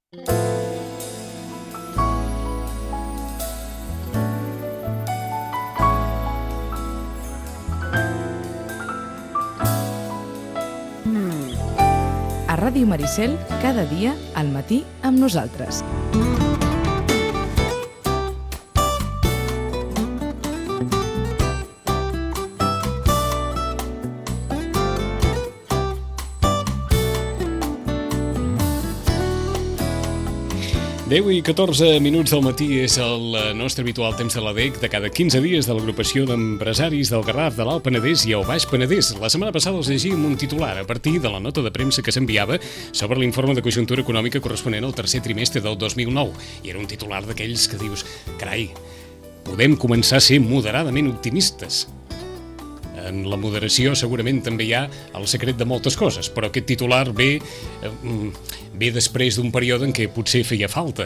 A Ràdio Maricel, cada dia, al matí, amb nosaltres. Deu i 14 minuts del matí és el nostre habitual temps de l'ADEC de cada 15 dies de l'agrupació d'empresaris del Garraf, de l'Alt Penedès i el Baix Penedès. La setmana passada els llegíem un titular a partir de la nota de premsa que s'enviava sobre l'informe de conjuntura econòmica corresponent al tercer trimestre del 2009. I era un titular d'aquells que dius, carai, podem començar a ser moderadament optimistes. En la moderació segurament també hi ha el secret de moltes coses, però aquest titular ve després d'un període en què potser feia falta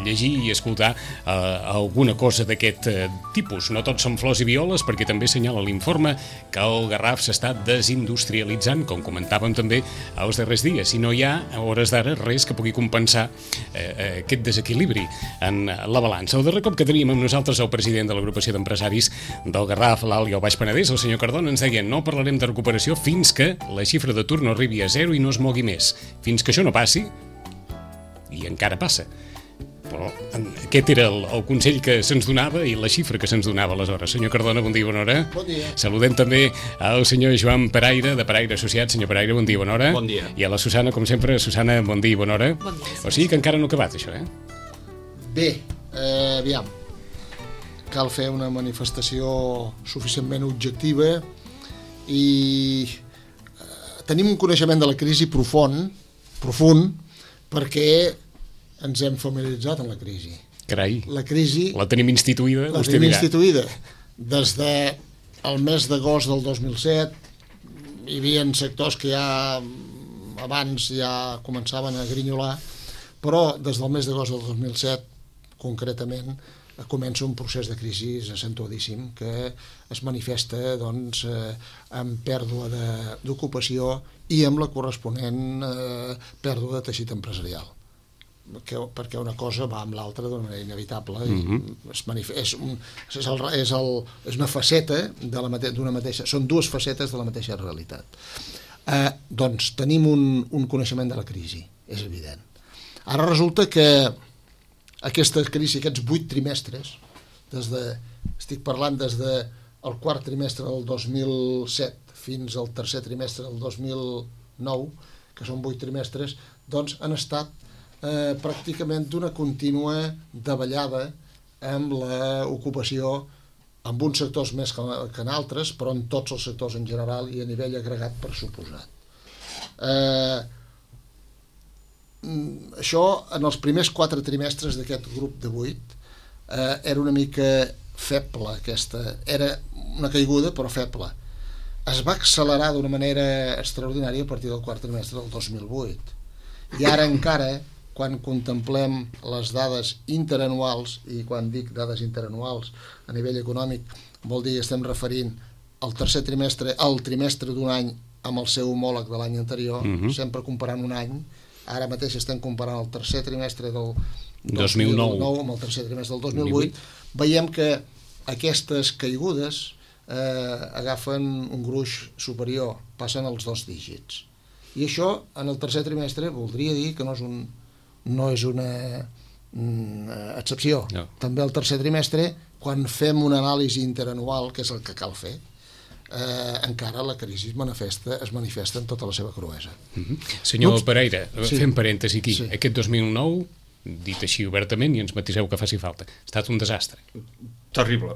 llegir i escoltar alguna cosa d'aquest tipus. No tots són flors i violes, perquè també assenyala l'informe que el Garraf s'està desindustrialitzant, com comentàvem també els darrers dies, i no hi ha, a hores d'ara, res que pugui compensar aquest desequilibri en la balança. El darrer cop que teníem amb nosaltres el president de l'agrupació d'empresaris del Garraf, l'Alt i el Baix Penedès, el senyor Cardona, ens deia no parlarem de recuperació fins que la xifra d'atur no arribi a 0 i no es mogui més. Fins que això no passi, i encara passa. Però aquest era el consell que se'ns donava i la xifra que se'ns donava aleshores. Senyor Cardona, bon dia, bona hora. Bon dia. Saludem també al senyor Joan Peraire, de Peraire Associats. Senyor Peraire, bon dia, bona hora. Bon dia. I a la Susana, com sempre. Susana, bon dia, bona hora. Bon dia. O sigui que encara no ha acabat, això, Bé, aviam. Cal fer una manifestació suficientment objectiva i tenim un coneixement de la crisi profund, perquè ens hem familiaritzat amb la crisi. Carai, La crisi la tenim instituïda, la vostè tenim dirà. instituïda. Des del mes d'agost del 2007 hi havia sectors que ja abans ja començaven a grinyolar, però des del mes d'agost del 2007 concretament comença un procés de crisi acentuadíssim que es manifesta doncs, amb pèrdua d'ocupació i amb la corresponent pèrdua de teixit empresarial, perquè una cosa va amb l'altra d'una manera inevitable i és una faceta d'una mateixa, són dues facetes de la mateixa realitat. Doncs tenim un coneixement de la crisi, és evident. Ara resulta que aquesta crisi, aquests 8 trimestres, estic parlant des del quart trimestre del 2007 fins al tercer trimestre del 2009, que són 8 trimestres, doncs han estat pràcticament d'una contínua davallada amb l'ocupació, amb uns sectors més que en altres, però en tots els sectors en general i a nivell agregat per suposat. Això en els primers 4 trimestres d'aquest grup de 8 era una mica feble, era una caiguda però feble. Es va accelerar d'una manera extraordinària a partir del quart trimestre del 2008 i ara encara quan contemplem les dades interanuals, i quan dic dades interanuals a nivell econòmic vol dir que estem referint al tercer trimestre, al trimestre d'un any amb el seu homòleg de l'any anterior, sempre comparant un any. Ara mateix estem comparant el tercer trimestre del 2009 amb el tercer trimestre del 2008. Veiem que aquestes caigudes agafen un gruix superior, passen als 2 dígits. I això, en el tercer trimestre, voldria dir que no és una excepció. No. També el tercer trimestre, quan fem una anàlisi interanual, que és el que cal fer, encara la crisi es manifesta en tota la seva cruesa. Senyor Peraire, fem parèntesi aquí. Sí. Aquest 2009, dit així obertament, i ens matiseu que faci falta, ha estat un desastre. Terrible.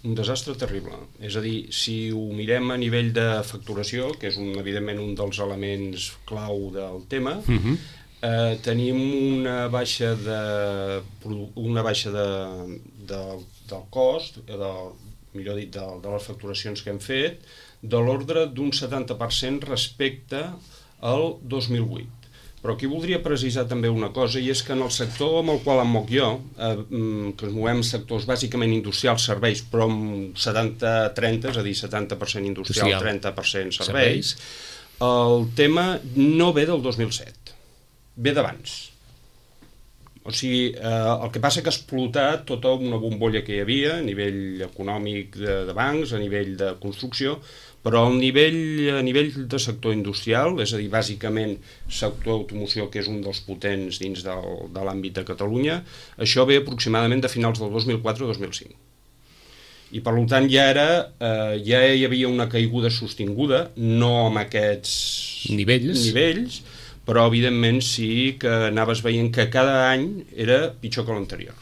Un desastre terrible. És a dir, si ho mirem a nivell de facturació, que és evidentment un dels elements clau del tema, tenim una baixa del cost, millor dit, de les facturacions que hem fet, de l'ordre d'un 70% respecte al 2008. Però aquí voldria precisar també una cosa, i és que en el sector amb el qual em moc jo, que ens movem sectors bàsicament industrials, serveis, però amb 70-30, és a dir, 70% industrial, 30% serveis, el tema no ve del 2007, ve d'abans. O sigui, el que passa que ha explotat tota una bombolla que hi havia a nivell econòmic de bancs, a nivell de construcció, però a nivell de sector industrial, és a dir, bàsicament sector automoció, que és un dels potents dins de l'àmbit de Catalunya, això ve aproximadament de finals del 2004-2005. I per tant ja hi havia una caiguda sostinguda, no amb aquests nivells, però evidentment sí que anaves veient que cada any era pitjor que l'anterior.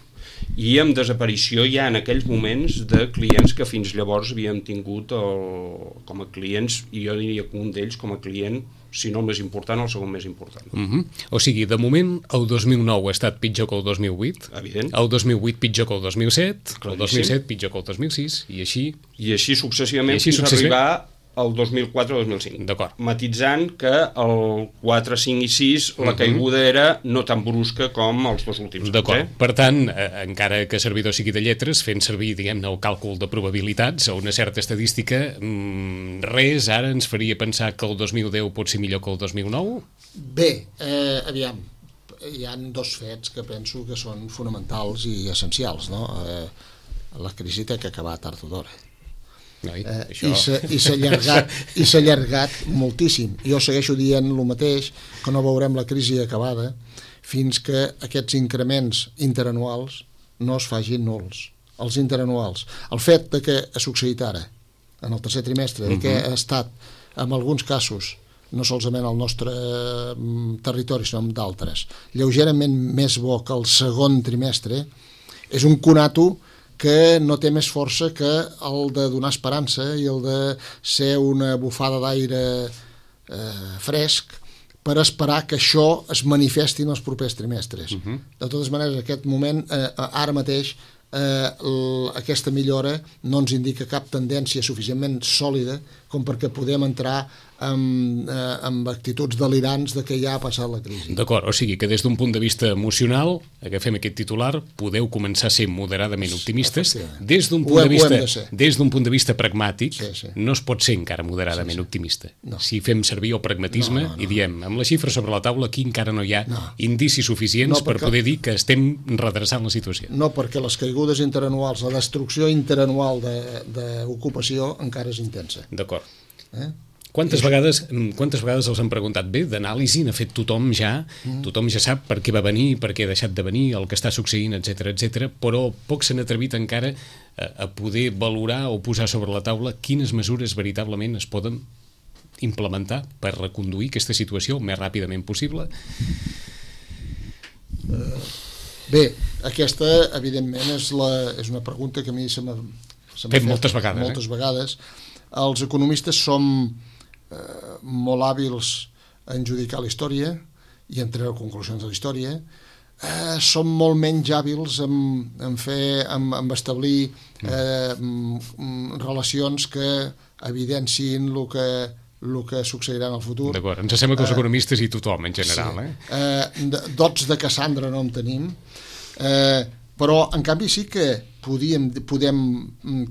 I amb desaparició ja en aquells moments de clients que fins llavors havíem tingut com a clients, i jo diria que un d'ells com a client, si no el més important, el segon més important. O sigui, de moment, el 2009 ha estat pitjor que el 2008, evident. El 2008 pitjor que el 2007, Claríssim. El 2007 pitjor que el 2006, i així successivament fins a arribar al 2004-2005. D'acord. Matitzant que el 4, 5 i 6 la caiguda era no tan brusca com els dos últims. D'acord. Per tant, encara que servidor sigui de lletres, fent servir, diguem-ne, el càlcul de probabilitats o una certa estadística, res ara ens faria pensar que el 2010 pot ser millor que el 2009? Bé, aviam, hi ha dos fets que penso que són fonamentals i essencials, no? La crisi té que acabar tard o d'hora. I s'ha allargat moltíssim. Jo segueixo dient el mateix, que no veurem la crisi acabada fins que aquests increments interanuals no es facin nuls. Els interanuals. El fet de que ha succeït ara, en el tercer trimestre, que ha estat, en alguns casos, no solament al nostre territori, sinó d'altres, lleugerament més bo que el segon trimestre, és un conato que no té més força que el de donar esperança i el de ser una bufada d'aire fresc per esperar que això es manifesti en els propers trimestres. De totes maneres, aquest moment, ara mateix, aquesta millora no ens indica cap tendència suficientment sòlida com perquè podem entrar amb actituds delirants de que ja ha passat la crisi. D'acord, o sigui que des d'un punt de vista emocional, agafem aquest titular, podeu començar a ser moderadament optimistes. Des d'un punt de vista pragmàtic, no es pot ser encara moderadament optimista. Si fem servir el pragmatisme i diem, amb les xifres sobre la taula, aquí encara no hi ha indicis suficients per poder dir que estem redreçant la situació. No, perquè les caigudes interanuals, la destrucció interanual d'ocupació encara és intensa. D'acord. Quantes vegades els han preguntat, bé, d'anàlisi n'ha fet tothom ja sap per què va venir, per què ha deixat de venir, el que està succeint, etc, però pocs s'han atrevit encara a poder valorar o posar sobre la taula quines mesures veritablement es poden implementar per reconduir aquesta situació el més ràpidament possible. Bé, aquesta, evidentment, és una pregunta que a mi se m'ha fet moltes vegades. Moltes vegades. Els economistes som molt hàbils en judicar la història i en treure conclusions de la història. Som molt menys hàbils en establir relacions que evidenciïn el que succeirà en el futur. D'acord, ens sembla que els economistes i tothom en general. Dots de Cassandra no en tenim, però en canvi sí que podem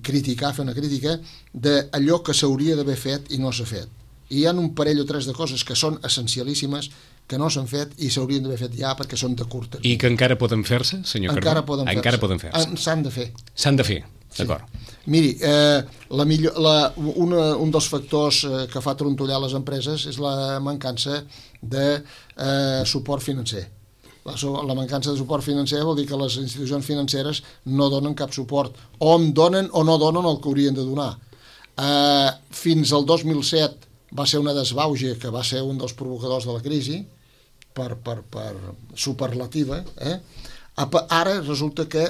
criticar, fer una crítica d'allò que s'hauria d'haver fet i no s'ha fet. I hi ha un parell o tres de coses que són essencialíssimes que no s'han fet i s'haurien d'haver fet ja perquè són de curt termini. I que encara poden fer-se, senyor Cardó? Encara poden fer-se. S'han de fer. S'han de fer, d'acord. Miri, un dels factors que fa trontollar les empreses és la mancança de suport financer. La mancança de suport financer vol dir que les institucions financeres no donen cap suport, o en donen o no donen el que haurien de donar. Fins al 2007 va ser una desbauge que va ser un dels provocadors de la crisi, per superlativa. Ara resulta que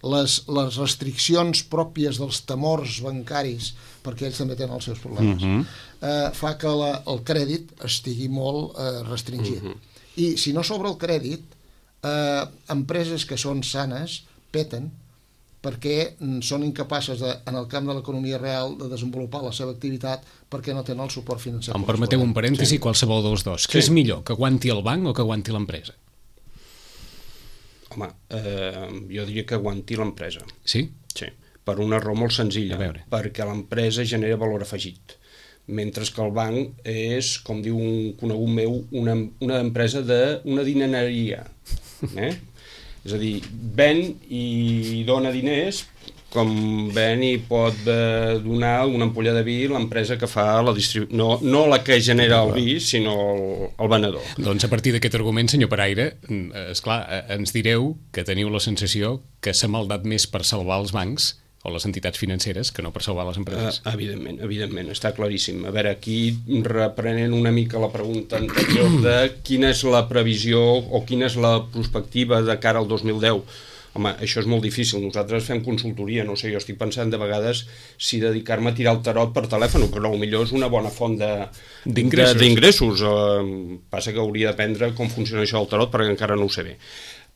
les restriccions pròpies dels temors bancaris, perquè ells també tenen els seus problemes, fa que el crèdit estigui molt restringit. I si no s'obre el crèdit, empreses que són sanes peten perquè són incapaces, en el camp de l'economia real, de desenvolupar la seva activitat perquè no tenen el suport financer. Em permeteu un parèntesi, qualsevol dels dos. Què és millor, que aguanti el banc o que aguanti l'empresa? Home, jo diria que aguanti l'empresa. Sí? Sí, per una raó molt senzilla, perquè l'empresa genera valor afegit, mentre que el banc és, com diu un conegut meu, una empresa d'una dinereria. És a dir, ven i dona diners, com ven i pot donar una ampolla de vi l'empresa que fa la distribució, no la que genera el vi, sinó el venedor. Doncs a partir d'aquest argument, senyor Paraire, esclar, ens direu que teniu la sensació que s'ha maldat més per salvar els bancs o les entitats financeres que no per salvar les empreses. Evidentment, està claríssim. A veure, aquí reprenent una mica la pregunta anterior de quina és la previsió o quina és la perspectiva de cara al 2010. Home, això és molt difícil. Nosaltres fem consultoria, no sé, jo estic pensant de vegades si dedicar-me a tirar el tarot per telèfon, però potser és una bona font d'ingressos. Passa que hauria d'aprendre com funciona això del tarot perquè encara no ho sé bé.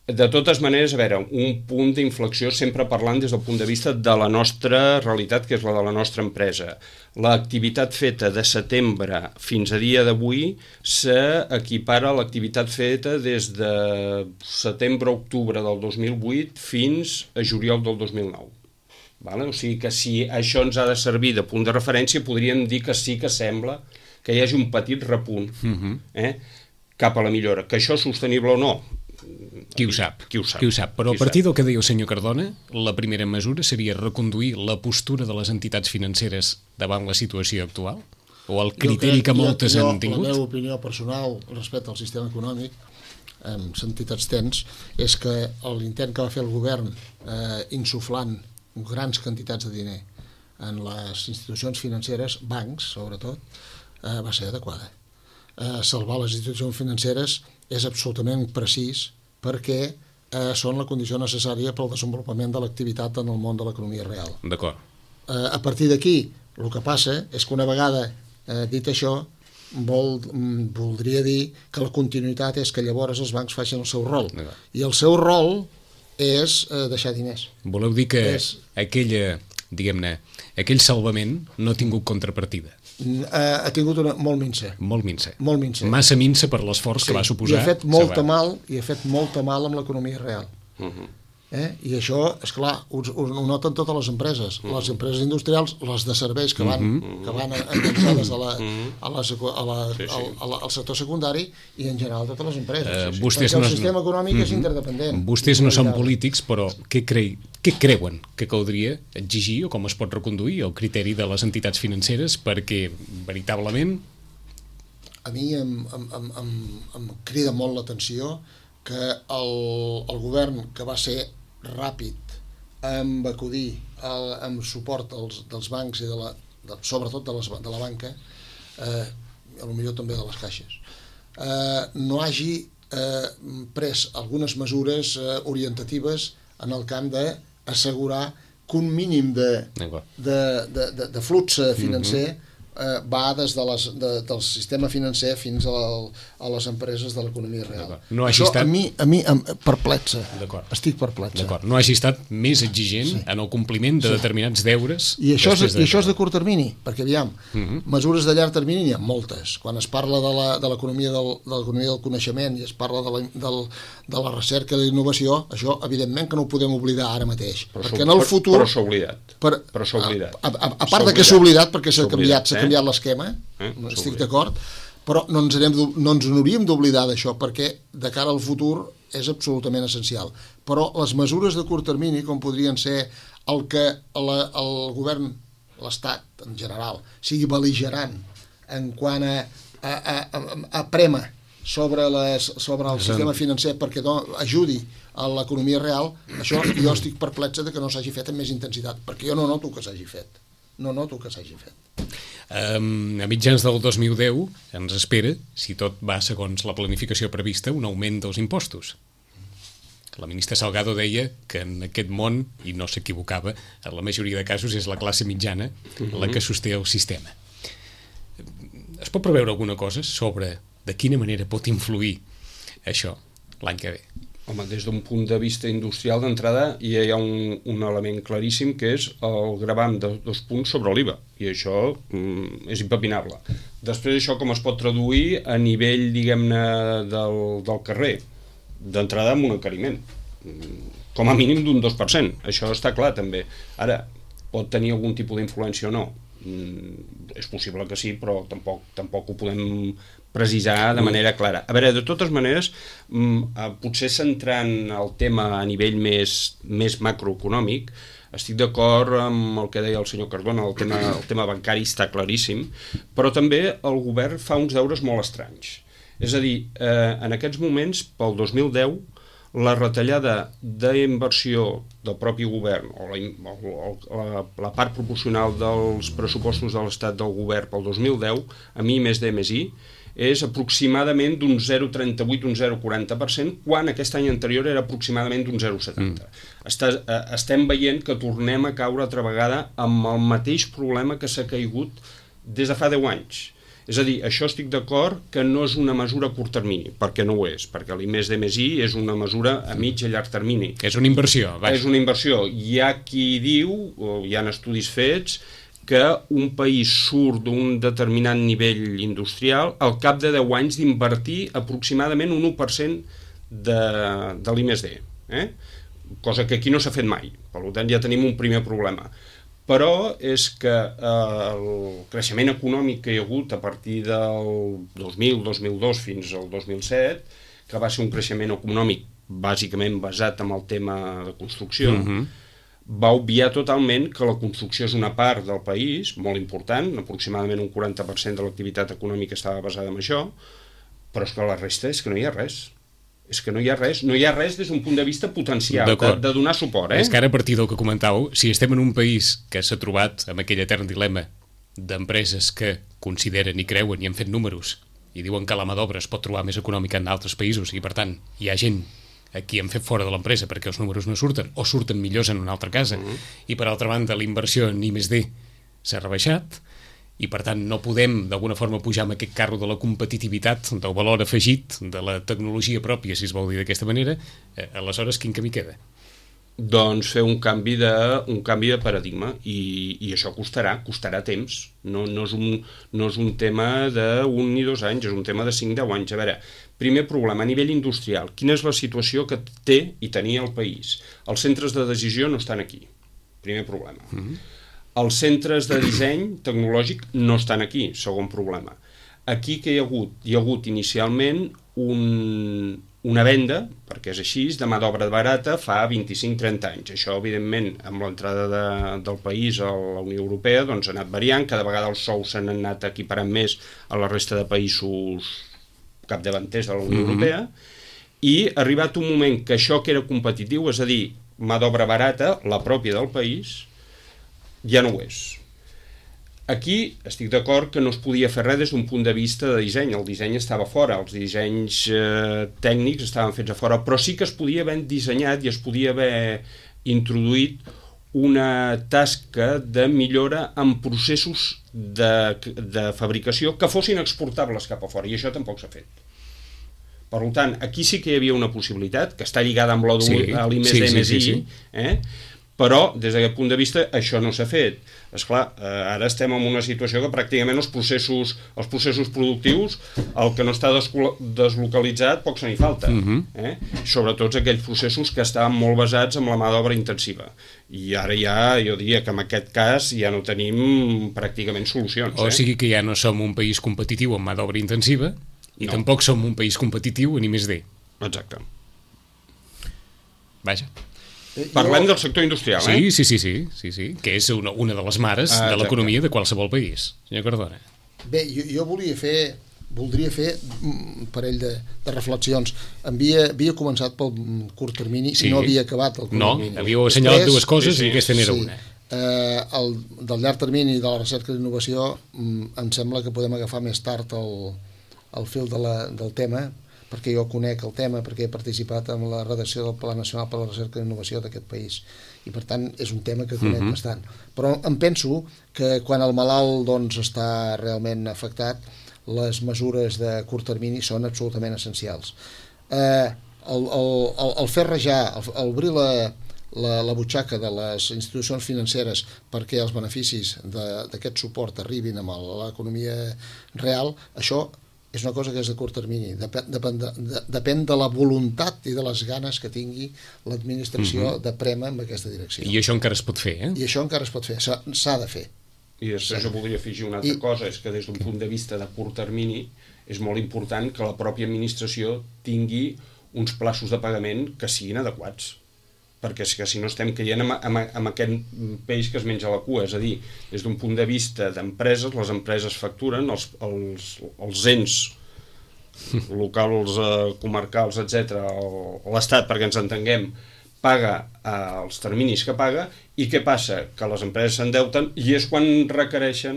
De totes maneres, a veure, un punt d'inflexió sempre parlant des del punt de vista de la nostra realitat, que és la de la nostra empresa. L'activitat feta de setembre fins a dia d'avui s'equipara a l'activitat feta des de setembre-octubre del 2008 fins a juliol del 2009. Vale? O sigui que si això ens ha de servir de punt de referència, podríem dir que sí que sembla que hi hagi un petit repunt cap a la millora. Que això és sostenible o no? Qui ho sap. Però a partir del que deia el senyor Cardona, la primera mesura seria reconduir la postura de les entitats financeres davant la situació actual? O el criteri que moltes han tingut? La meva opinió personal respecte al sistema econòmic, amb entitats tens, és que l'intent que va fer el govern insuflant grans quantitats de diner en les institucions financeres, bancs sobretot, va ser adequada. Salvar les institucions financeres és absolutament precís perquè són la condició necessària pel desenvolupament de l'activitat en el món de l'economia real. D'acord. A partir d'aquí, el que passa és que una vegada dit això, voldria dir que la continuïtat és que llavors els bancs facin el seu rol. I el seu rol és deixar diners. Voleu dir que aquell salvament no ha tingut contrapartida? Ha tingut una molt minsa. Molt minsa. Massa minsa per l'esforç que va suposar. I ha fet molta mal amb l'economia real. I això, esclar, ho noten totes les empreses. Les empreses industrials, les de serveis que van enganxades al sector secundari i en general totes les empreses. Perquè el sistema econòmic és interdependent. Vostès no són polítics, però què creuen que caldria exigir o com es pot reconduir el criteri de les entitats financeres perquè veritablement... A mi em crida molt l'atenció que el govern, que va ser ràpid amb acudir amb suport dels bancs i sobretot de la banca, potser també de les caixes, no hagi pres algunes mesures orientatives en el camp d'assegurar que un mínim de flux financer va des del sistema financer fins a les empreses de l'economia real. Això a mi em perplexa. Estic perplexa. No hagi estat més exigent en el compliment de determinats deures. I això és de curt termini, perquè aviam, mesures de llarg termini n'hi ha moltes. Quan es parla de l'economia del coneixement i es parla de la recerca i la innovació, això evidentment que no ho podem oblidar ara mateix. Perquè en el futur... Però s'ha oblidat. A part de que s'ha oblidat perquè s'ha canviat l'esquema, estic d'acord, però no ens n'hauríem d'oblidar d'això perquè de cara al futur és absolutament essencial. Però les mesures de curt termini, com podrien ser el que el govern, l'Estat en general, sigui bel·ligerant en quant a prema sobre el sistema financer perquè ajudi a l'economia real, això jo estic perplexa que no s'hagi fet amb més intensitat, perquè jo no noto que s'hagi fet. A mitjans del 2010 ens espera, si tot va segons la planificació prevista, un augment dels impostos. La ministra Salgado deia que en aquest món, i no s'equivocava, en la majoria de casos és la classe mitjana la que sosté el sistema. Es pot preveure alguna cosa sobre de quina manera pot influir això l'any que ve? Home, des d'un punt de vista industrial d'entrada hi ha un element claríssim que és el gravam de 2 punts sobre l'IVA, i això és impepinable. Després això com es pot traduir a nivell, diguem-ne, del carrer? D'entrada amb un encariment, com a mínim d'un 2%, això està clar també. Ara, pot tenir algun tipus d'influència o no? És possible que sí, però tampoc ho podem precisar de manera clara. A veure, de totes maneres, potser centrant el tema a nivell més macroeconòmic, estic d'acord amb el que deia el senyor Cardona, el tema bancari està claríssim, però també el govern fa uns deures molt estranys. És a dir, en aquests moments, pel 2010, la retallada d'inversió del propi govern, o la part proporcional dels pressupostos de l'Estat del govern pel 2010, a mi més D més I, és aproximadament d'un 0,38, un 0,40%, quan aquest any anterior era aproximadament d'un 0,70%. Estem veient que tornem a caure altra vegada amb el mateix problema que s'ha caigut des de fa 10 anys. És a dir, això estic d'acord que no és una mesura a curt termini, perquè no ho és, perquè l'I+D+I és una mesura a mig i a llarg termini. És una inversió. És una inversió. Hi ha qui diu, o hi ha estudis fets, que un país surt d'un determinat nivell industrial al cap de 10 anys d'invertir aproximadament un 1% de l'I+D. Cosa que aquí no s'ha fet mai. Per tant, ja tenim un primer problema. Però és que el creixement econòmic que hi ha hagut a partir del 2000-2002 fins al 2007, que va ser un creixement econòmic bàsicament basat en el tema de construcció, va obviar totalment que la construcció és una part del país, molt important, aproximadament un 40% de l'activitat econòmica estava basada en això, però és que la resta és que no hi ha res. És que no hi ha res des d'un punt de vista potencial, de donar suport. És que ara, a partir del que comentàveu, si estem en un país que s'ha trobat amb aquell etern dilema d'empreses que consideren i creuen i han fet números i diuen que la mà d'obra es pot trobar més econòmica en altres països i, per tant, hi ha gent a qui han fet fora de l'empresa perquè els números no surten o surten millors en una altra casa i, per altra banda, la inversió en I+D s'ha rebaixat i, per tant, no podem d'alguna forma pujar amb aquest carro de la competitivitat, del valor afegit, de la tecnologia pròpia, si es vol dir d'aquesta manera. Aleshores, quin camí queda? Doncs fer un canvi de paradigma i això costarà temps. No és un tema d'un ni 2 anys, és un tema de 5-10 anys. A veure, primer problema, a nivell industrial, quina és la situació que té i tenia el país? Els centres de decisió no estan aquí, primer problema. Els centres de disseny tecnològic no estan aquí, segon problema. Aquí que hi ha hagut inicialment una venda, perquè és així, de mà d'obra barata fa 25-30 anys. Això, evidentment, amb l'entrada del país a la Unió Europea, doncs ha anat variant, cada vegada els sous s'han anat equiparant més a la resta de països capdavanters de la Unió Europea, i ha arribat un moment que això que era competitiu, és a dir, mà d'obra barata, la pròpia del país, ja no ho és. Aquí estic d'acord que no es podia fer res des d'un punt de vista de disseny. El disseny estava fora, els dissenys tècnics estaven fets a fora, però sí que es podia haver dissenyat i es podia haver introduït una tasca de millora en processos de fabricació que fossin exportables cap a fora, i això tampoc s'ha fet. Per tant, aquí sí que hi havia una possibilitat, que està lligada amb l'I+D+I, però des d'aquest punt de vista això no s'ha fet. Esclar, ara estem en una situació que pràcticament els processos productius, el que no està deslocalitzat, poc se n'hi falta. Sobretot aquells processos que estaven molt basats en la mà d'obra intensiva. I ara ja, jo diria que en aquest cas ja no tenim pràcticament solucions. O sigui que ja no som un país competitiu en mà d'obra intensiva i tampoc som un país competitiu en I+D. Exacte. Vaja. Parlem del sector industrial, Sí, que és una de les mares de l'economia de qualsevol país. Senyor Cardona. Bé, jo voldria fer un parell de reflexions. Havia començat pel curt termini i no havia acabat el curt termini. No, havíeu assenyalat dues coses i aquesta n'era una. El del llarg termini de la recerca i innovació em sembla que podem agafar més tard el fil del tema, perquè jo conec el tema, perquè he participat en la redacció del Pla Nacional per a la Recerca i Innovació d'aquest país, i per tant és un tema que conec bastant. Però em penso que quan el malalt està realment afectat, les mesures de curt termini són absolutament essencials. El fer rajar, el obrir la butxaca de les institucions financeres perquè els beneficis d'aquest suport arribin a l'economia real, això és una cosa que és de curt termini. Depèn de la voluntat i de les ganes que tingui l'administració de prémer en aquesta direcció. I això encara es pot fer, I això encara es pot fer, s'ha de fer. I després jo voldria afegir una altra cosa, és que des d'un punt de vista de curt termini és molt important que la pròpia administració tingui uns plaços de pagament que siguin adequats, perquè és que si no estem caient amb aquest peix que es menja la cua, és a dir, des d'un punt de vista d'empreses, les empreses facturen, els ens locals, comarcals, etc., l'Estat, perquè ens entenguem, paga els terminis que paga, i què passa? Que les empreses s'endeuten i és quan requereixen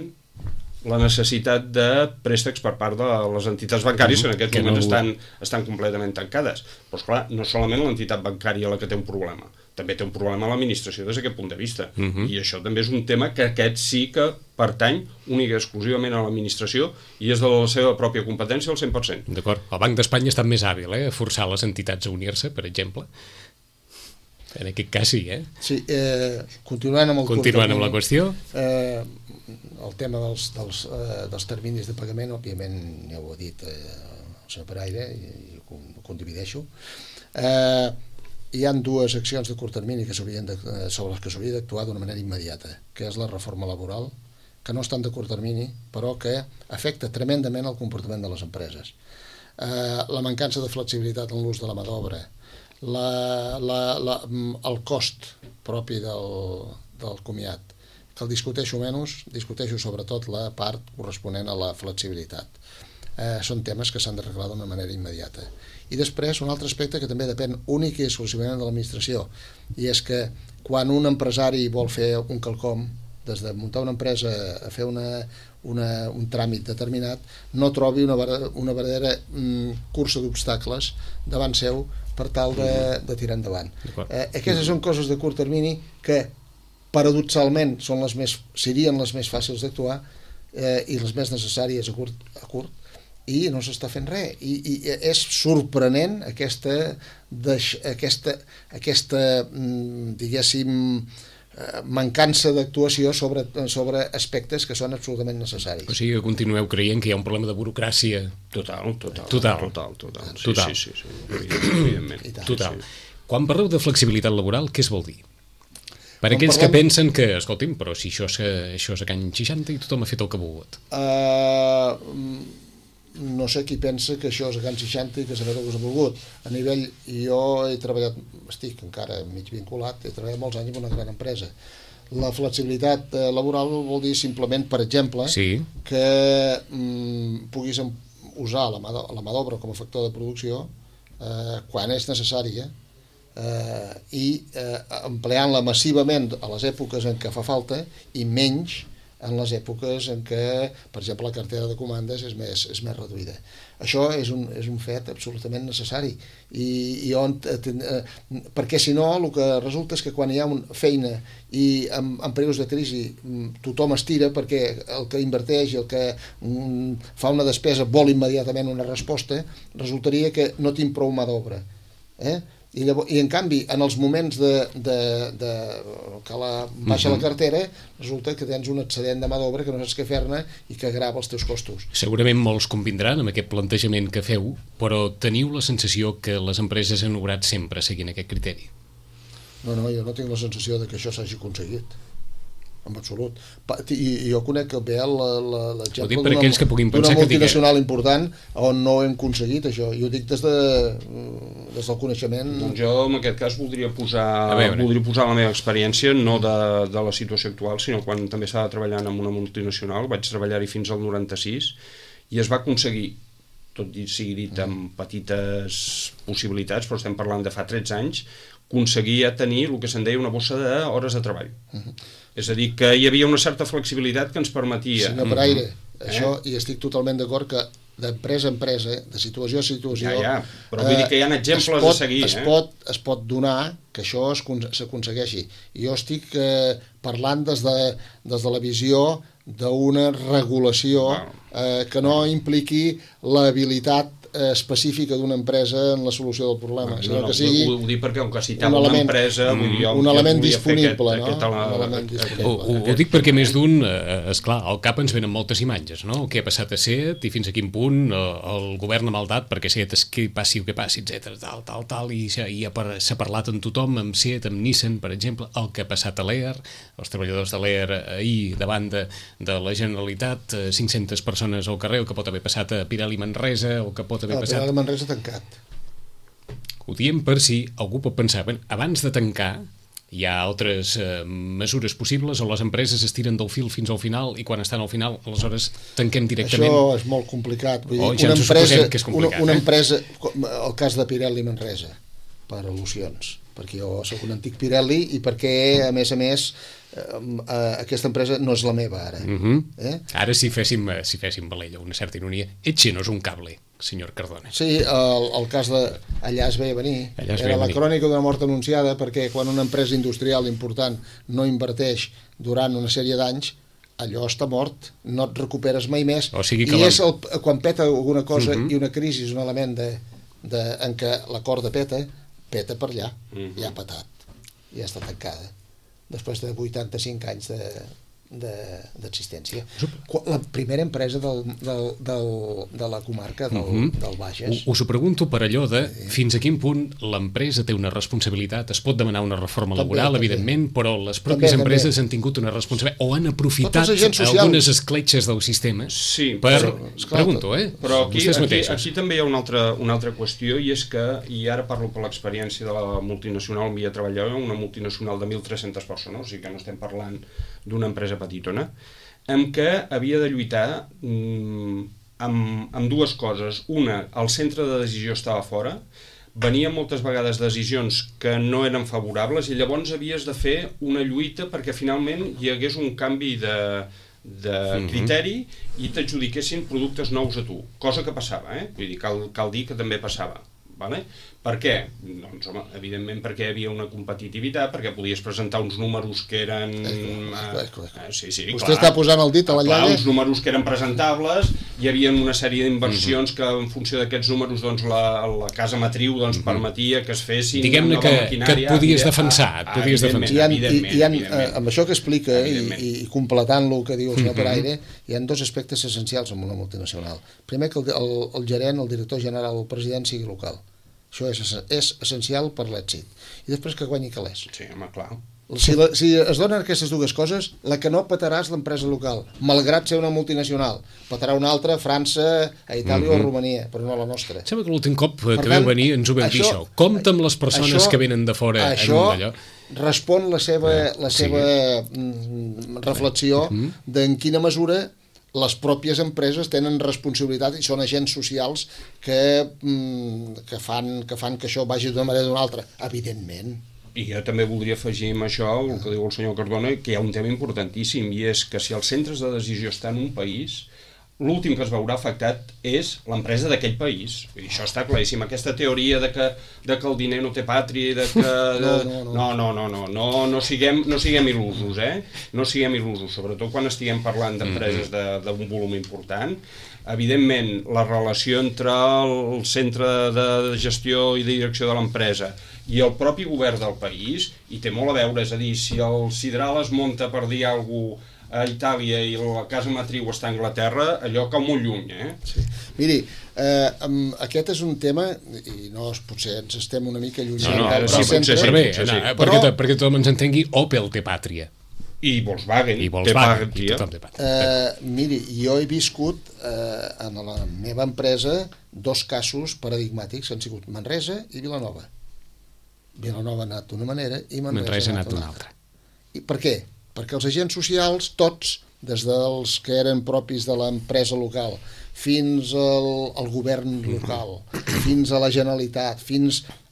la necessitat de préstecs per part de les entitats bancàries que en aquest moment estan completament tancades. Però esclar, no solament l'entitat bancària la que té un problema, també té un problema l'administració des d'aquest punt de vista. I això també és un tema que aquest sí que pertany única i exclusivament a l'administració i és de la seva pròpia competència al 100%. D'acord. El Banc d'Espanya ha estat més hàbil, a forçar les entitats a unir-se, per exemple. En aquest cas sí, Sí, continuant amb la qüestió. El tema dels terminis de pagament, òbviament ja ho ha dit el senyor Paraire i ho condivideixo. Hi ha dues accions de curt termini sobre les que s'hauria d'actuar d'una manera immediata, que és la reforma laboral, que no estan de curt termini, però que afecta tremendament el comportament de les empreses. La mancança de flexibilitat en l'ús de la mà d'obra, el cost propi del comiat, que el discuteixo menys, discuteixo sobretot la part corresponent a la flexibilitat. Són temes que s'han d'arreglar d'una manera immediata. I després, un altre aspecte que també depèn únic i exclusivament de l'administració, i és que quan un empresari vol fer un quelcom, des de muntar una empresa a fer un tràmit determinat, no trobi una verdadera cursa d'obstacles davant seu per tal de tirar endavant. Aquestes són coses de curt termini que paradoxalment serien les més fàcils d'actuar i les més necessàries a curt, i no s'està fent res. I és sorprenent aquesta diguéssim, mancança d'actuació sobre aspectes que són absolutament necessaris. O sigui que continueu creient que hi ha un problema de burocràcia. Total. Sí, evidentment. Total. Quan parleu de flexibilitat laboral, què es vol dir? Per aquells que pensen que, escolti'm, però si això és a Can 60 i tothom ha fet el que ha volgut. No sé qui pensa que això és a Can 60 i que s'ha fet el que s'ha volgut. A nivell, jo he treballat, estic encara mig vinculat, he treballat molts anys en una gran empresa. La flexibilitat laboral vol dir simplement, per exemple, que puguis usar la mà d'obra com a factor de producció quan és necessària, i empleant-la massivament a les èpoques en què fa falta i menys en les èpoques en què, per exemple, la cartera de comandes és més reduïda. Això és un fet absolutament necessari, perquè si no el que resulta és que quan hi ha feina i en períodes de crisi tothom estira perquè el que inverteix i el que fa una despesa vol immediatament una resposta, resultaria que no tinc prou mà d'obra. I en canvi, en els moments que baixa la cartera, resulta que tens un excedent de mà d'obra que no saps què fer-ne i que agrava els teus costos. Segurament molts convindran amb aquest plantejament que feu, però teniu la sensació que les empreses han obrat sempre seguint aquest criteri? No, jo no tinc la sensació de que això s'hagi aconseguit. En absolut. I jo conec bé l'exemple d'una multinacional important on no hem aconseguit això, i ho dic des del coneixement. Doncs jo en aquest cas voldria posar la meva experiència, no de la situació actual, sinó quan també estava treballant en una multinacional, vaig treballar-hi fins al 96 i es va aconseguir, tot sigui dit amb petites possibilitats, però estem parlant de fa 13 anys, aconseguia tenir el que se'n deia una bossa d'hores de treball. És a dir, que hi havia una certa flexibilitat que ens permetia... Senyor Paraire, això, i estic totalment d'acord que d'empresa a empresa, de situació a situació... Però vull dir que hi ha exemples a seguir. Es pot donar que això s'aconsegueixi. Jo estic parlant des de la visió d'una regulació que no impliqui l'habilitat específica d'una empresa en la solució del problema, sinó que sigui ho dic perquè com que citava una empresa un element disponible, ho dic perquè més d'un, esclar, al cap ens venen moltes imatges, no? El que ha passat a SEAT i fins a quin punt el govern ha maldat perquè SEAT que passi el que passi, etc. Tal, i s'ha parlat amb tothom, amb SEAT, amb Nissan, per exemple, el que ha passat a l'EAR, els treballadors de l'EAR ahir davant de la Generalitat, 500 persones al carrer, el que pot haver passat a Pirelli Manresa, el que pot haver passat... Pirelli Manresa tancat. Ho diem per si algú pot pensar, abans de tancar hi ha altres mesures possibles o les empreses es tiren del fil fins al final i quan estan al final, aleshores tanquem directament. Això és molt complicat. Vull dir, ja ens ho suposem que és complicat. Una empresa, el cas de Pirelli Manresa, per al·lusions, perquè jo soc un antic Pirelli i perquè, a més, aquesta empresa no és la meva ara. Ara si féssim Valella, una certa ironia, Etxe no és un cable, senyor Cardona. Sí, el cas de allà es veia venir, era la crònica d'una mort anunciada, perquè quan una empresa industrial important no inverteix durant una sèrie d'anys, allò està mort, no et recuperes mai més, i és quan peta alguna cosa i una crisi és un element en què la corda peta per allà, ja ha petat, ja està tancada després de 85 anys d'existència. La primera empresa de la comarca del Bages. Us ho pregunto per allò de fins a quin punt l'empresa té una responsabilitat. Es pot demanar una reforma laboral, evidentment, però les pròpies empreses han tingut una responsabilitat o han aprofitat algunes escletxes del sistema per... Pregunto, Però aquí també hi ha una altra qüestió, i és que, i ara parlo per l'experiència de la multinacional on havia treballat, una multinacional de 1.300 persones, o sigui que no estem parlant d'una empresa petitona, amb què havia de lluitar amb dues coses. Una, el centre de decisió estava fora, venien moltes vegades decisions que no eren favorables i llavors havies de fer una lluita perquè finalment hi hagués un canvi de criteri i t'adjudiquessin productes nous a tu, cosa que passava, vull dir, cal dir que també passava. Vale? Per què? Doncs, home, evidentment perquè hi havia una competitivitat, perquè podies presentar uns números que eren... Vostè està posant el dit a la llaga. Uns números que eren presentables, hi havia una sèrie d'inversions que en funció d'aquests números doncs, la casa matriu doncs, permetia que es fessin... Diguem-ne que et podies defensar. Amb això que explica i completant el que diu el senyor Peraire, hi ha dos aspectes essencials en una multinacional. Primer, que el gerent, el director general, el president sigui local. Això és essencial per l'èxit. I després que guanyi calés. Sí, home, clar. Si es donen aquestes dues coses, la que no petarà és l'empresa local, malgrat ser una multinacional. Petarà una altra a França, a Itàlia o a Romania, però no la nostra. Sembla que l'últim cop que veu venir ens ho veu dir això. Compte amb les persones que venen de fora en un d'allò. Respon la seva reflexió d'en quina mesura les pròpies empreses tenen responsabilitat i són agents socials que fan que això vagi d'una manera o d'una altra, evidentment. I jo també voldria afegir amb això el que diu el senyor Cardona, que hi ha un tema importantíssim, i és que si els centres de decisió estan en un país, l'últim que es veurà afectat és l'empresa d'aquell país. Això està claríssim. Aquesta teoria de que el diner no té pàtria i de que... No siguem il·lusos, No siguem il·lusos, sobretot quan estiguem parlant d'empreses d'un volum important. Evidentment, la relació entre el centre de gestió i de direcció de l'empresa i el propi govern del país hi té molt a veure, és a dir, si el Sidral es munta per dir alguna cosa a Itàlia i la casa matriu està a Anglaterra, allò cau molt lluny, Sí. Miri, aquest és un tema, i potser ens estem una mica allunyant del centre. Perquè tothom ens entengui, Opel té pàtria. I Volkswagen té pàtria. Miri, jo he viscut en la meva empresa dos casos paradigmàtics, han sigut Manresa i Vilanova. Vilanova ha anat d'una manera i Manresa ha anat d'una altra. I per què? Perquè els agents socials, tots, des dels que eren propis de l'empresa local, fins al govern local, fins a la Generalitat,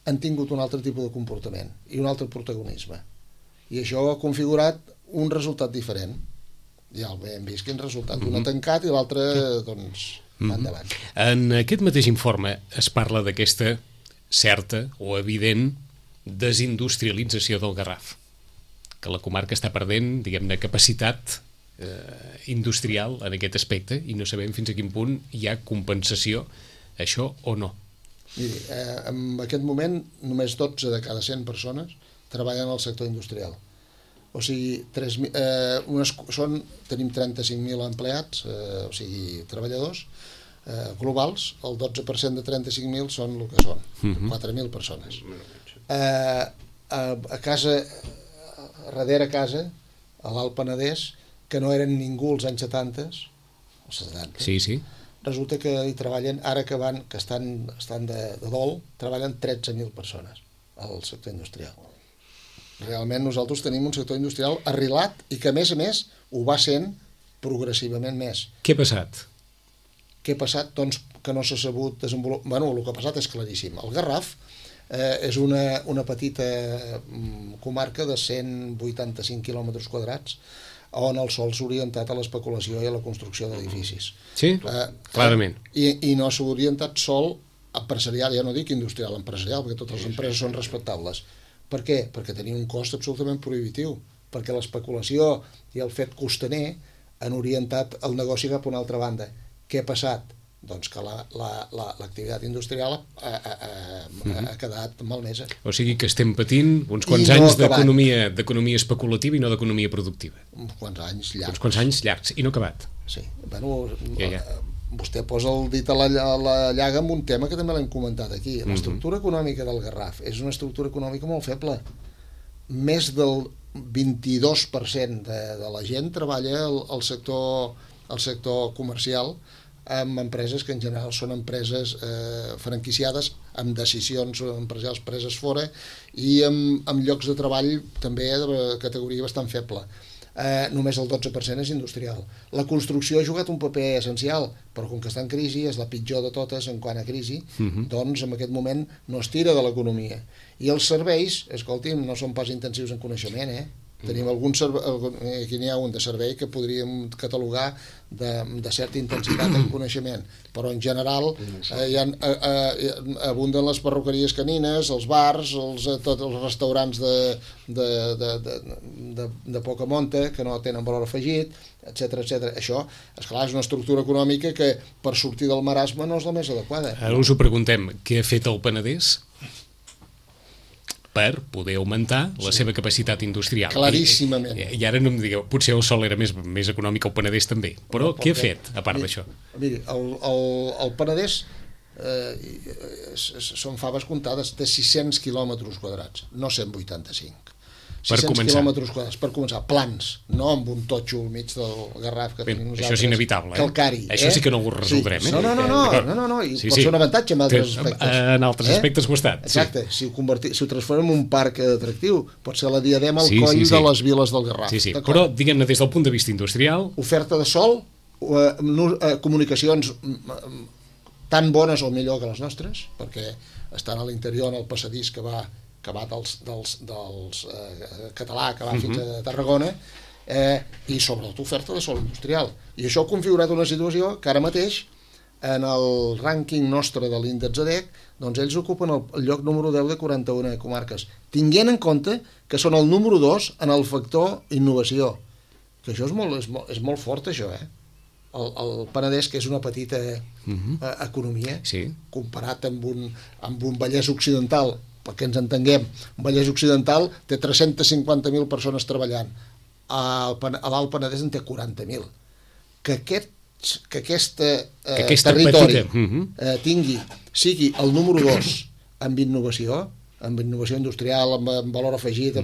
han tingut un altre tipus de comportament i un altre protagonisme. I això ha configurat un resultat diferent. Ja hem vist quin resultat. Un ha tancat i l'altre, doncs, va endavant. En aquest mateix informe es parla d'aquesta certa o evident desindustrialització del Garraf, que la comarca està perdent, diguem-ne, capacitat industrial en aquest aspecte i no sabem fins a quin punt hi ha compensació això o no? Miri, en aquest moment només 12 de cada 100 persones treballen al sector industrial. O sigui, tenim 35.000 empleats, o sigui, treballadors globals, el 12% de 35.000 són el que són, 4.000 persones. A casa, darrere casa, a l'Alt Penedès, que no eren ningú als anys 70, els 70, Sí. resulta que hi treballen, ara que estan de dol, treballen 13.000 persones al sector industrial. Realment nosaltres tenim un sector industrial arrelat i que a més ho va sent progressivament més. Què ha passat? Què ha passat? Doncs que no s'ha sabut desenvolupar. Bueno, el que ha passat és claríssim. El Garraf és una petita comarca de 185 quilòmetres quadrats on el sol s'ha orientat a l'especulació i a la construcció d'edificis. Sí, clarament. I no s'ha orientat sol empresarial, ja no dic industrial, empresarial, perquè totes les empreses són respectables. Per què? Perquè tenia un cost absolutament prohibitiu, perquè l'especulació i el fet costaner han orientat el negoci cap a una altra banda. Què ha passat? Doncs que l'activitat industrial ha quedat malmesa. O sigui que estem patint uns quants anys d'economia especulativa i no d'economia productiva. Uns quants anys llargs. Uns quants anys llargs, i no acabat. Sí. Bueno, Ja. Vostè posa el dit a la llaga amb un tema que també l'hem comentat aquí. L'estructura econòmica del Garraf és una estructura econòmica molt feble. Més del 22% de la gent treballa al sector comercial amb empreses que en general són empreses franquiciades, amb decisions empresarials preses fora i amb llocs de treball també de categoria bastant feble. Només el 12% és industrial. La construcció ha jugat un paper essencial, però com que està en crisi, és la pitjor de totes en quant a crisi, doncs en aquest moment no es tira de l'economia. I els serveis, escolti'm, no són pas intensius en coneixement, Tenim aquí n'hi ha un de servei que podríem catalogar de certa intensitat en coneixement, però en general abunden les perruqueries canines, els bars, tots els restaurants de poca monta que no tenen valor afegit, etc. Això, esclar, és una estructura econòmica que per sortir del marasme no és la més adequada. Ara us ho preguntem, què ha fet el Penedès per poder augmentar la seva capacitat industrial? Claríssimament. I ara no em digueu, potser el sol era més econòmic, el Penedès també, però què ha fet, a part d'això? Miri, el Penedès són faves comptades, té 600 quilòmetres quadrats, no 185. 600 quilòmetres quadrats, per començar, plans, no amb un totxo al mig del Garraf que tenim nosaltres. Això és inevitable, calcari. Això sí que no ho resoldrem, No, i pot ser un avantatge en altres aspectes. En altres aspectes ho ha estat. Exacte, si ho transformem en un parc atractiu, pot ser la diadema al coll de les viles del Garraf. Sí, però diguem-ne des del punt de vista industrial... Oferta de sol, comunicacions tan bones o millor que les nostres, perquè estan a l'interior en el passadís que va dels català, que va fins a Tarragona, i sobretot oferta de sòl industrial. I això ha configurat una situació que ara mateix, en el rànquing nostre de l'índex ADEC, doncs ells ocupen el lloc número 10 de 41 comarques, tenint en compte que són el número 2 en el factor innovació. Que això és molt fort, això, El Penedès, que és una petita economia, comparat amb un Vallès Occidental, perquè ens entenguem, un Vallès Occidental té 350.000 persones treballant, a l'Alt Penedès en té 40.000. Que aquest territori sigui el número 2 amb innovació industrial, amb valor afegit,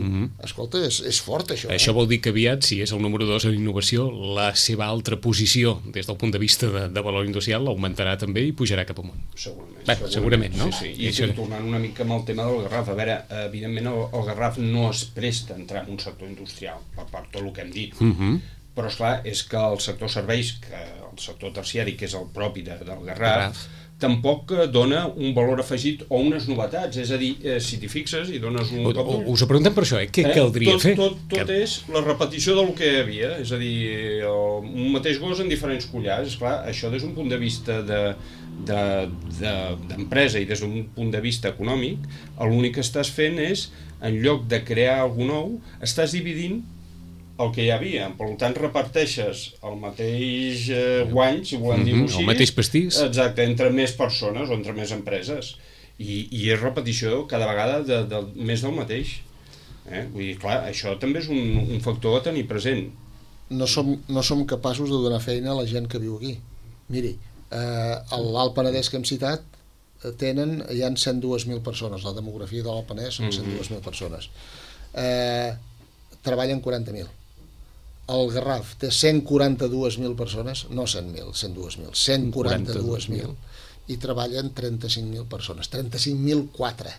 escolta, és fort això. Això vol dir que aviat, si és el número 2 en innovació, la seva altra posició des del punt de vista de valor industrial l'augmentarà també i pujarà cap amunt. Segurament, no? Sí. I tornant una mica amb el tema del Garraf, a veure, evidentment el Garraf no es presta a entrar en un sector industrial, per tot el que hem dit, però esclar, és que el sector serveis, que el sector terciari, que és el propi del Garraf, tampoc dona un valor afegit o unes novetats, és a dir, si t'hi fixes i dones un cop d'ull... Us ho preguntem per això, què caldria fer? Tot és la repetició del que hi havia, és a dir, un mateix gos en diferents collars. Esclar, això des d'un punt de vista d'empresa i des d'un punt de vista econòmic, l'únic que estàs fent és, en lloc de crear alguna nou, estàs dividint el que hi havia. Per tant, reparteixes el mateix guany, si volem dir-ho així. El mateix pastís. Exacte, entre més persones o entre més empreses. I és repetició cada vegada més del mateix. Vull dir, clar, això també és un factor a tenir present. No som capaços de donar feina a la gent que viu aquí. Miri, a l'Alt Penedès que hem citat hi ha 102.000 persones, la demografia de l'Alt Penedès són 102.000 persones. Treballen 40.000. El Garraf té 142.000 persones, no 100.000, 102.000, 142.000, i treballen 35.000 persones, 35.004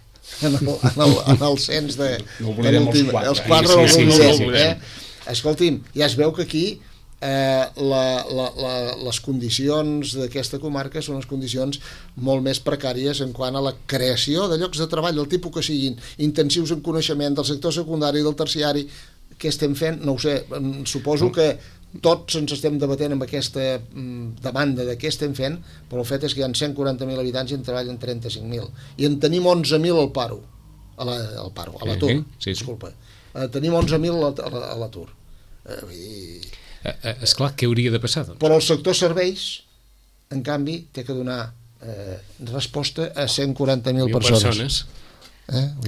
en el cens de... No oblidem els 4. Els 4 Escolti'm, ja es veu que aquí les condicions d'aquesta comarca són unes condicions molt més precàries en quant a la creació de llocs de treball del tipus que siguin intensius en coneixement del sector secundari i del terciari. Què estem fent? No ho sé, suposo que tots ens estem debatent amb aquesta demanda de què estem fent, però el fet és que hi ha 140.000 habitants i en treballen 35.000 i en tenim 11.000 al paro, a l'atur, disculpa. Tenim 11.000 a l'atur. Esclar, què hauria de passar, doncs? Però el sector serveis, en canvi, té que donar resposta a 140.000 persones.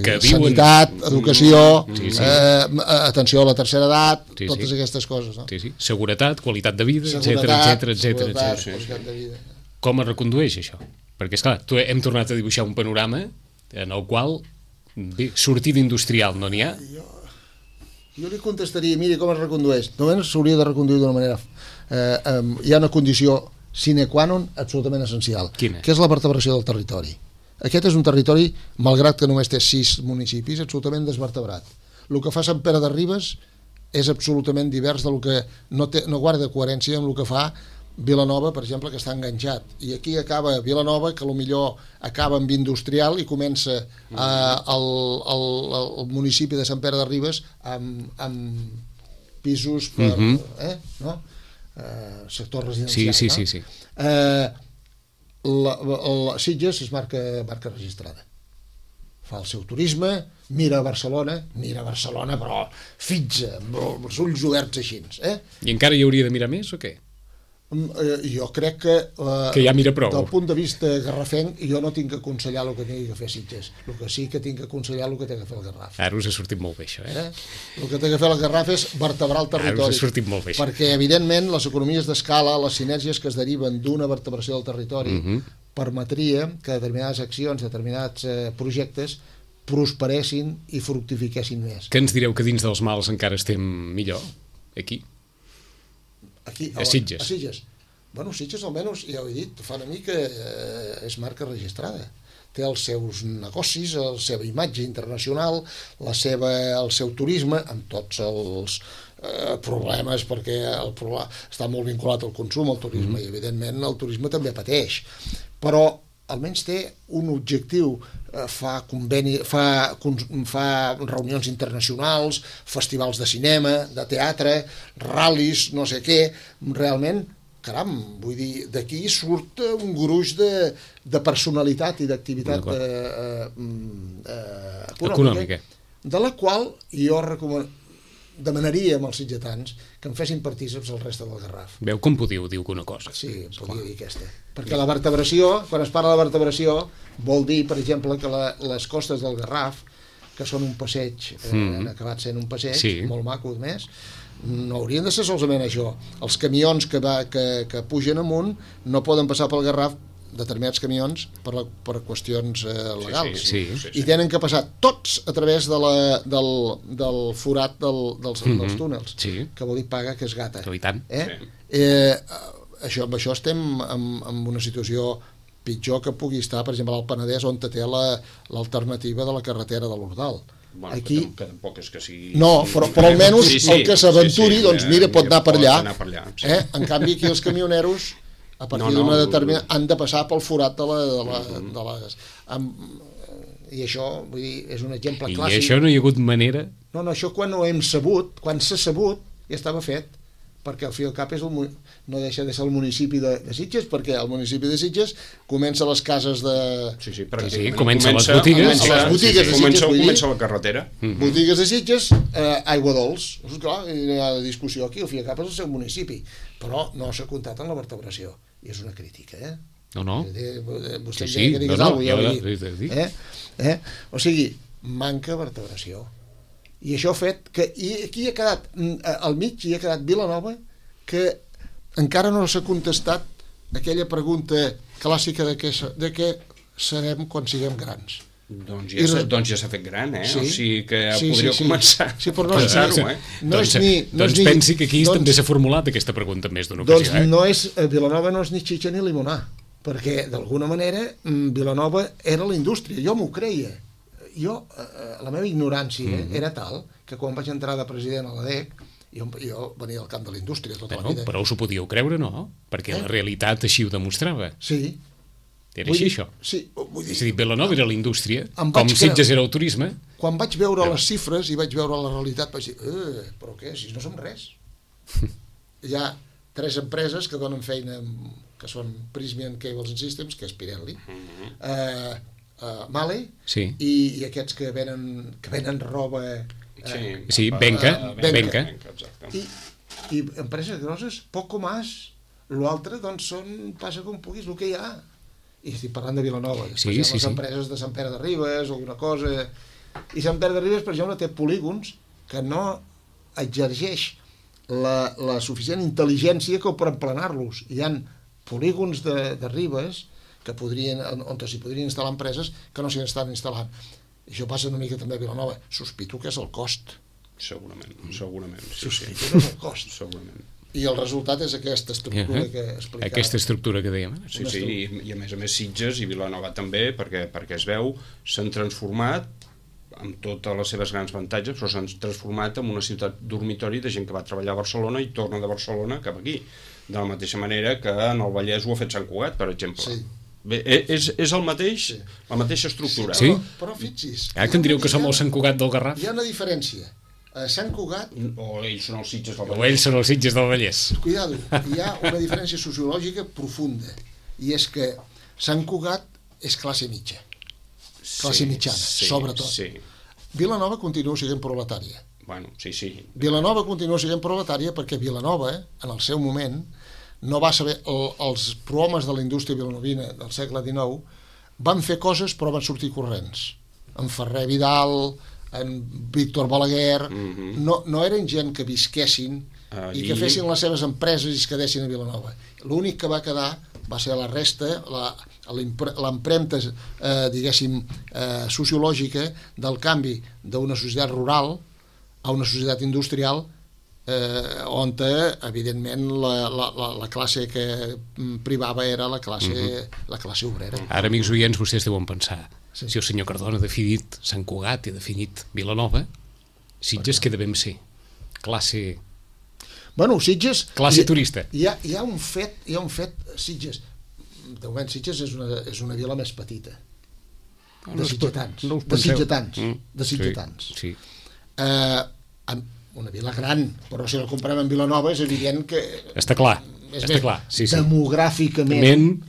Que sanitat, educació, atenció a la tercera edat, totes aquestes coses. No? Seguretat, qualitat de vida, etcètera. Com es recondueix això? Perquè, esclar, hem tornat a dibuixar un panorama en el qual sortida industrial no n'hi ha. Jo li contestaria, miri com es recondueix. Només s'hauria de reconduir d'una manera... Hi ha una condició sine qua non absolutament essencial, que és la vertebració del territori. Aquest és un territori, malgrat que només té 6 municipis, absolutament desvertebrat. El que fa Sant Pere de Ribes és absolutament divers del que no guarda coherència amb el que fa Vilanova, per exemple, que està enganxat. I aquí acaba Vilanova, que potser acaba amb industrial i comença el municipi de Sant Pere de Ribes amb pisos per... no? Sector residencial. Sí. Sitges és marca registrada, fa el seu turisme, mira Barcelona però fitxa, amb els ulls oberts així. I encara hi hauria de mirar més o què? Jo crec que ja mira prou. Del punt de vista garrafenc, jo no tinc que aconsellar el que tingui que fer Sitges, el que sí que tinc que aconsellar el que té que fer el Garraf. Ara us ha sortit molt bé això, El que té que fer el Garraf és vertebrar el territori. Ara us ha sortit molt bé això. Perquè evidentment les economies d'escala, les sinergies que es deriven d'una vertebració del territori permetria que determinades accions, determinats projectes prosperessin i fructifiquessin més. Què ens direu que dins dels mals encara estem millor? Aquí, a Sitges. Bueno, Sitges almenys, ja ho he dit, fa una mica és marca registrada. Té els seus negocis, la seva imatge internacional, el seu turisme, amb tots els problemes, perquè està molt vinculat al consum, al turisme, i evidentment el turisme també pateix. Però almenys té un objectiu, fa reunions internacionals, festivals de cinema, de teatre, ral·lis, no sé què, realment, caram, vull dir, d'aquí surt un gruix de personalitat i d'activitat econòmica, de la qual jo demanaríem als sitgetans que em fessin partícips el reste del Garraf. Veu com diu que una cosa. Sí, podia dir aquesta. Perquè la vertebració, quan es parla de vertebració, vol dir, per exemple, que les costes del Garraf, que són un passeig, han acabat sent un passeig, molt maco més, no haurien de ser solament això. Els camions que pugen amunt no poden passar pel Garraf, determinats camions, per qüestions legals. I tenen que passar tots a través del forat dels túnels, que vol dir paga que es gata. Amb això estem en una situació pitjor que pugui estar, per exemple, al Penedès, on té l'alternativa de la carretera de l'Ordal. Bueno, aquí... que tampoc és que sigui... No, però almenys el que s'aventuri, doncs mira, pot anar per allà. En canvi, aquí els camioneros, a partir d'una determinada, han de passar pel forat de les... I això, vull dir, és un exemple clàssic. I això no hi ha hagut manera? No, això quan ho hem sabut, quan s'ha sabut, ja estava fet. perquè al fi i al cap no deixa de ser el municipi de Sitges, perquè el municipi de Sitges comença les cases de... Sí, comença les botigues. Comença la carretera. Botigues de Sitges, aigua dolç. Clar, hi ha discussió aquí, al fi i al cap és el seu municipi, però no s'ha comptat en la vertebració. I és una crítica, No. Vostè deia que digues alguna cosa, O sigui, manca vertebració. I això ha fet que aquí ha quedat al mig, hi ha quedat Vilanova, que encara no s'ha contestat aquella pregunta clàssica de què serem quan siguem grans. Doncs ja s'ha fet gran, Sí. O sigui que podríeu començar a pensar-ho, Doncs pensi que aquí també s'ha formulat aquesta pregunta en més d'una ocasió. Doncs Vilanova no és ni xitxa ni limonar, perquè d'alguna manera Vilanova era la indústria, jo m'ho creia. La meva ignorància era tal que quan vaig entrar de president a l'ADEC, jo venia del camp de la indústria tota la vida. Però us ho podíeu creure, no? Perquè la realitat així ho demostrava. Sí. Era així, això? Sí. És a dir, Vilanova era la indústria, com Sitges era el turisme. Quan vaig veure les xifres i vaig veure la realitat, vaig dir, però què, si no som res. Hi ha 3 empreses que donen feina, que són Prysmian Cables and Systems, que és Pirelli, Male, i aquests que venen roba... Benca. I empreses grosses, poc més. L'altre, doncs, passa com puguis, el que hi ha. I estic parlant de Vilanova. Després hi ha les empreses de Sant Pere de Ribes, alguna cosa... I Sant Pere de Ribes, per exemple, té polígons que no exergeix la suficient intel·ligència com per emplenar-los. Hi ha polígons de Ribes on s'hi podrien instal·lar empreses que no s'hi estan instal·lant. I això passa una mica també a Vilanova. Sospito que és el cost. Segurament. Sospito que és el cost. Segurament. I el resultat és aquesta estructura que explicava. Aquesta estructura que dèiem. Sí, i a més Sitges i Vilanova també, perquè es veu, s'han transformat amb totes les seves grans avantatges, però s'han transformat en una ciutat dormitori de gent que va treballar a Barcelona i torna de Barcelona cap aquí. De la mateixa manera que en el Vallès ho ha fet Sant Cugat, per exemple. Sí. Bé, és el mateix, la mateixa estructura. Sí? Però fixi's... Que em diríeu que som el Sant Cugat del Garraf? Hi ha una diferència. A Sant Cugat... O ells són els Sitges del Vallès. O ells són els Sitges del Vallès. Cuidado, hi ha una diferència sociològica profunda, i és que Sant Cugat és classe mitja. Classe mitjana, sobretot. Sí. Vilanova continua sent proletària. Bueno, sí. Vilanova continua sent proletària perquè Vilanova, en el seu moment, no va saber... Els prohomes de la indústria vilanovina del segle XIX van fer coses però van sortir corrents. En Ferrer Vidal, en Víctor Balaguer... No eren gent que visquessin i que fessin les seves empreses i es quedessin a Vilanova. L'únic que va quedar va ser la resta, l'empremta, diguéssim, sociològica del canvi d'una societat rural a una societat industrial on, evidentment, la classe que privava era la classe obrera. Ara, amics oients, vostès deuen pensar, si el senyor Cardona ha definit Sant Cugat i ha definit Vilanova, Sitges què devem ser? Classe... Bueno, Sitges... Classe turista. Hi ha un fet, Sitges... De moment, Sitges és una vila més petita. De sitgetans. Sí. Una vila gran, però si la comparem amb Vilanova és evident que... Està clar. Sí. Demogràficament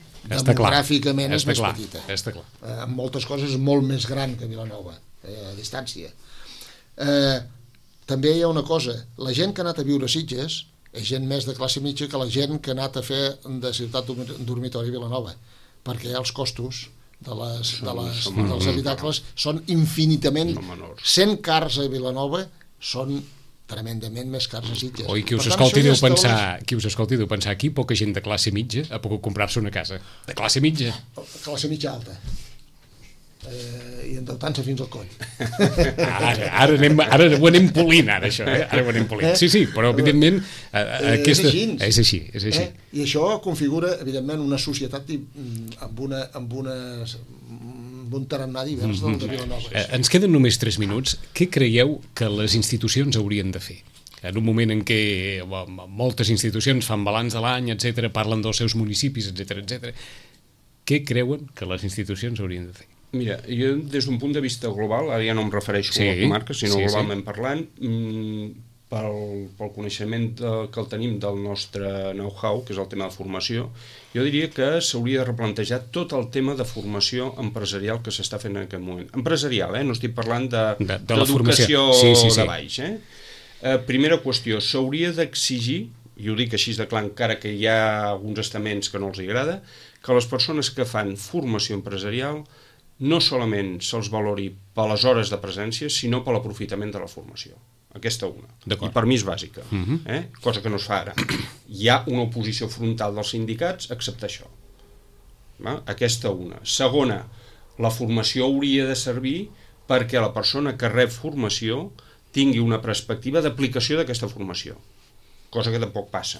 és més petita. Està clar. En moltes coses és molt més gran que Vilanova, a distància. També hi ha una cosa, la gent que ha anat a viure a Sitges és gent més de classe mitja que la gent que ha anat a fer de ciutat dormitori a Vilanova, perquè els costos dels habitacles són infinitament... 100 cars a Vilanova són tremendament més cars a Sitges. Oi, qui us escolti deu pensar aquí poca gent de classe mitja ha pogut comprar-se una casa. De classe mitja. Classe mitja alta. I endeutant-se fins al coll. Ara ho anem polint, ara, això. Ara ho anem polint. Sí, però evidentment és així. I això configura, evidentment, una societat amb un tarannà divers del de Vilanova. Ens queden només 3 minuts. Què creieu que les institucions haurien de fer? En un moment en què moltes institucions fan balanç de l'any, etc., parlen dels seus municipis, etc., què creuen que les institucions haurien de fer? Mira, jo des d'un punt de vista global, ara ja no em refereixo a la comarca, sinó globalment parlant, pel coneixement que el tenim del nostre know-how, que és el tema de formació, jo diria que s'hauria de replantejar tot el tema de formació empresarial que s'està fent en aquest moment. Empresarial, no estic parlant d'educació de baix. Primera qüestió, s'hauria d'exigir, i ho dic així de clar, encara que hi ha alguns estaments que no els agrada, que les persones que fan formació empresarial no solament se'ls valori per les hores de presència, sinó per l'aprofitament de la formació. Aquesta una. I per mi és bàsica, cosa que no es fa ara. Hi ha una oposició frontal dels sindicats a acceptar això. Aquesta una. Segona, la formació hauria de servir perquè la persona que rep formació tingui una perspectiva d'aplicació d'aquesta formació, cosa que tampoc passa.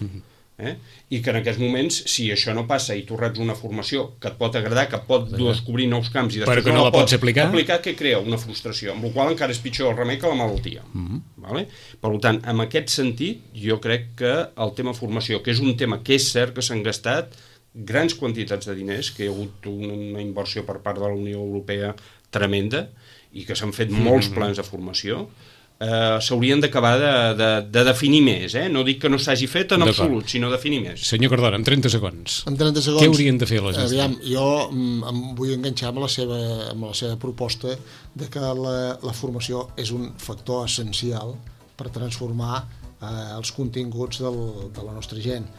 I que en aquests moments, si això no passa i tu reps una formació que et pot agradar, que et pot descobrir nous camps i després no la pots aplicar, que crea una frustració, amb la qual encara és pitjor el remei que la malaltia. Per tant, en aquest sentit, jo crec que el tema formació, que és un tema que és cert que s'han gastat grans quantitats de diners, que hi ha hagut una inversió per part de la Unió Europea tremenda i que s'han fet molts plans de formació, s'haurien d'acabar de definir més, no dic que no s'hagi fet en absolut, sinó definir més. Senyor Cardona, en 30 segons. En 30 segons. Què haurien de fer les institucions? Aviam, jo em vull enganxar amb la seva proposta de que la formació és un factor essencial per transformar els continguts de la nostra gent.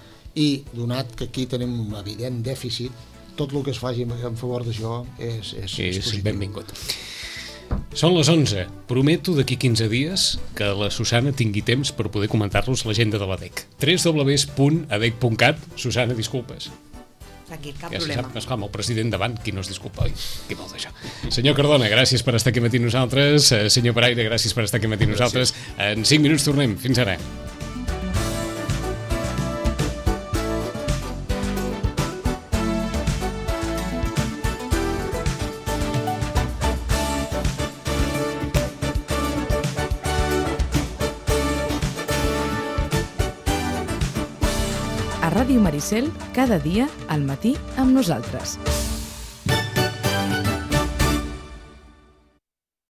I, donat que aquí tenim un evident dèficit, tot el que es faci en favor d'això és positiu. Benvingut. Són les 11. Prometo d'aquí 15 dies que la Susana tingui temps per poder comentar-los l'agenda de l'ADEC. www.adec.cat. Susana, disculpes. Tranquil, cap ja problema. Ja se sap, amb el president davant, qui no es disculpa, oi? Qui vol d'això? Senyor Cardona, gràcies per estar aquí matí nosaltres. Senyor Paraire, gràcies per estar aquí matí nosaltres. En 5 minuts tornem. Fins ara. A Ràdio Maricel, cada dia al matí amb nosaltres.